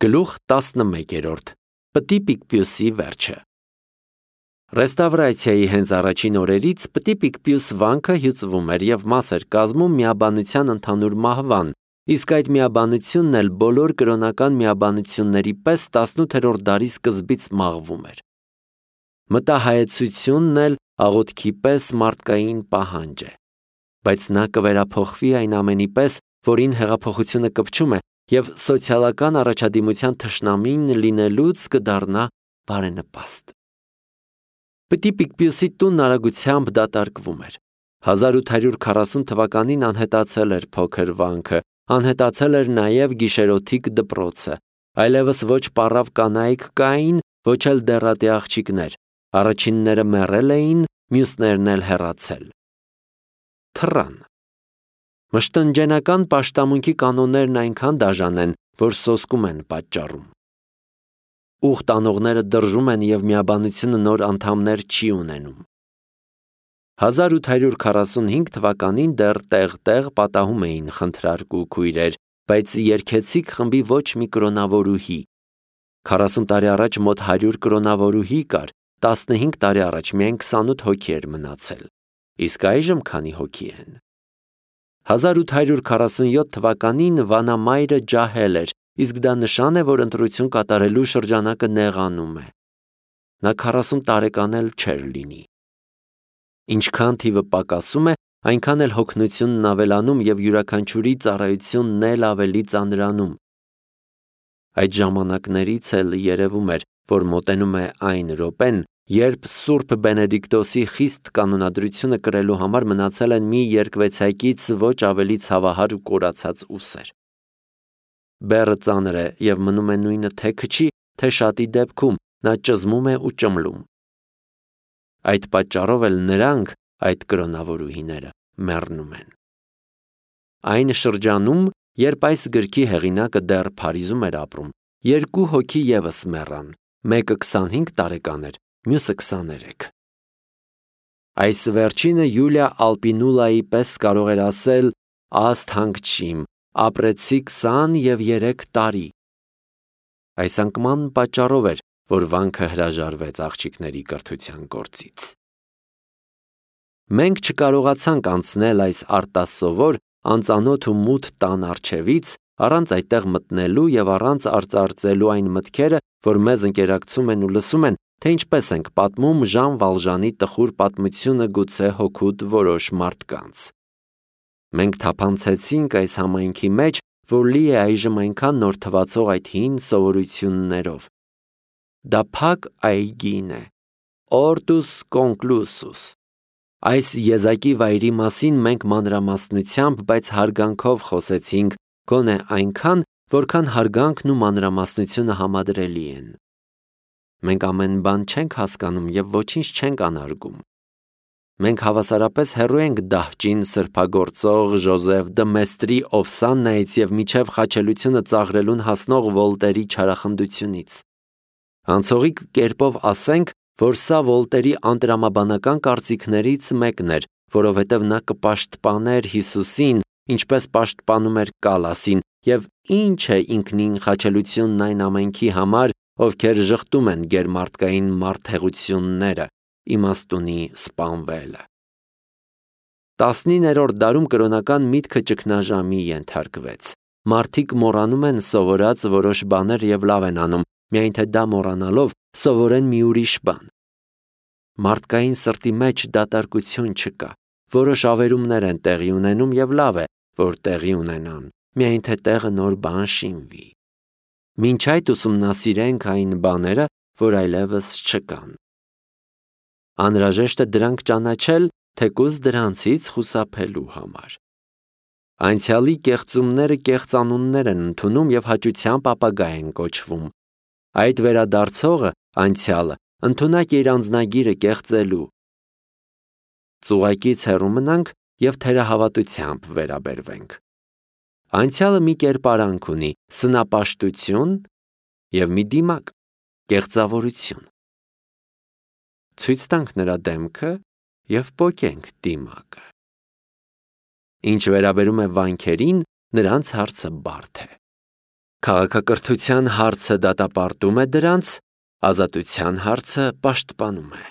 Գլուխ 11 Պտի Պիկպիուսի վերջը Ռեստավրացիայի հենց առաջին օրերից Պտի Պիկպիուս վանքը հյուծվում էր և մաս էր կազմում միաբանության ընդհանուր մահվան, իսկ այդ միաբանությունն էլ բոլոր կրոնական միաբանությունների պես 18-րդ դարի սկզբից մաղվում էր։ Մտահայեցությունն էլ աղոթքի պես մարդկային պահանջ է, բայց նա կվերափոխվի այն ամենի պես, որին հեղափոխությունը կպչում է, և սոցիալական առաջադիմության թշնամին լինելուց կդառնա բարենպաստ։ Պտի Պիկպիուսի տունն արագությամբ դատարկվում էր։ 1840 թվականին անհետացել էր փոքր վանքը, անհետացել էր նաև գիշերօթիկ դպրոցը, այլևս ոչ պառավ կանայք կային, ոչ էլ դեռատի աղջիկներ, առաջինները մեռել էին, մյուսներն էլ հեռացել։ Թռան։ Մշտնջենական պաշտամունքի կանոններն այնքան դաժան են, որ սոսկում են պատճառում։ Ուխտ անողները դրժում են և միաբանությունը նոր անդամներ չի ունենում։ 1845 թվականին դեռ տեղ-տեղ պատահում էին խնդրարկու քույրեր, բայց երգեցիկ խմբի ոչ մի կրոնավորուհի։ 40 տարի առաջ մոտ 100 կրոնավորուհի կար, 15 տարի առաջ միայն 28 հոգի էր մնացել։ Իսկ այժմ քանի հոգի են։ 1847 թվականին վանամայրը ջահել էր, իսկ դա նշան է, որ ընտրություն կատարելու շրջանակը նեղանում է։ Նա 40 տարեկան էլ չէր լինի։ Ինչքան թիվը պակասում է, այնքան էլ հոգնությունն ավելանում և յուրաքանչյուրի ծառայությունն էլ ավելի ծանրանում։ Այդ ժամանակներից էլ երևում էր, որ մոտենում է այն րոպեն, երբ Սուրբ Բենեդիկտոսի խիստ կանոնադրությունը կրելու համար մնացել են մի երկվեցայկից ոչ ավելի ցավահար ու կորացած ուսեր։ Բեռը ծանր է և մնում է նույնը թե քչի, թե շատի դեպքում, նա ճզմում է ու ճմլում։ Այդ պատճառով էլ նրանք, այդ կրոնավորուհիները, մեռնում են։ Այն շրջանում, երբ այս գրքի հեղինակը դեռ Փարիզում էր ապրում, երկու հոգի ևս մեռան, մեկը 25 տարեկան էր, մյուսը 23։ Այս վերջինը Յուլիա Ալպինուլայի պես կարող էր ասել. «Աստ հանգչիմ, ապրեցի 23 տարի»։ Այս անկման պատճառով էր, որ վանքը հրաժարվեց աղջիկների կրթության գործից։ Մենք չկարողացանք անցնել այս արտասովոր, անծանոթ ու մութ տան առջևից, առանց այդտեղ մտնելու և առանց արծարծելու այն մտքերը, որ մեզ ընկերակցում են ու լսում են, թե ինչպես ենք պատմում Ժան Վալժանի տխուր պատմությունը գուցե հօգուտ որոշ մարդկանց։ Մենք թափանցեցինք այս համայնքի մեջ, որ լի է այժմ այնքան նոր թվացող այդ հին սովորություններով։ Դա փակ այգին է, Ortus Conclusus։ Այս եզակի վայրի մասին մենք մանրամասնությամբ, բայց հարգանքով խոսեցինք, գոնե այնքան, որքան հարգանքն ու մանրամասնությունը համադրելի են։ Մենք ամեն բան չենք հասկանում և ոչինչ չենք անարգում։ Մենք հավասարապես հեռու ենք դահճին սրբագործող Ժոզեֆ դը Մեստրի Օվսաննայից և մինչև խաչելությունը ծաղրելուն հասնող Վոլտերի չարախնդությունից։ Անցողիկ կերպով ասենք, որ սա Վոլտերի անտրամաբանական կարծիքներից մեկն էր, որովհետև նա կպաշտպաներ Հիսուսին, ինչպես պաշտպանում էր Կալասին, և ինչ է ինքնին խաչելությունն այն ամենքի համար, ովքեր ժխտում են գերմարդկային մարդհեղությունները, իմաստունի սպանվելը։ 19-րդ դարում կրոնական միտքը ճգնաժամի ենթարկվեց։ Մարդիկ մոռանում են սովորած որոշ բաներ և լավ են անում, միայն թե դա մոռանալով սովորեն մի ուրիշ բան։ Մարդկային սրտի մեջ դատարկություն չկա, որոշ ավերումներ են տեղի ունենում և լավ է, որ տեղի ունենան, միայն թե տեղը նոր բան շինվի։ Մինչ այդ ուսումնասիրենք այն բաները, որ այլևս չկան։ Անհրաժեշտ է դրանք ճանաչել, թեկուզ դրանցից խուսափելու համար։ Անցյալի կեղծումները կեղծանուններ են ընդունում և հաճությամբ ապագա են կոչվում։ Այդ վերադարձողը, անցյալը, ընդունակ է իր անձնագիրը կեղծելու։ Ծուղակից հեռու մնանք և թերահավատությամբ վերաբերվենք։ Անցյալը մի կերպարանք ունի՝ սնապաշտություն և մի դիմակ՝ կեղծավորություն։ Ցույց տանք նրա դեմքը և պոկենք դիմակը։ Ինչ վերաբերում է վանքերին, նրանց հարցը բարդ է։ Քաղաքակրթության հարցը դատապարտում է դրանց, ազատության հարցը պաշտպանում է։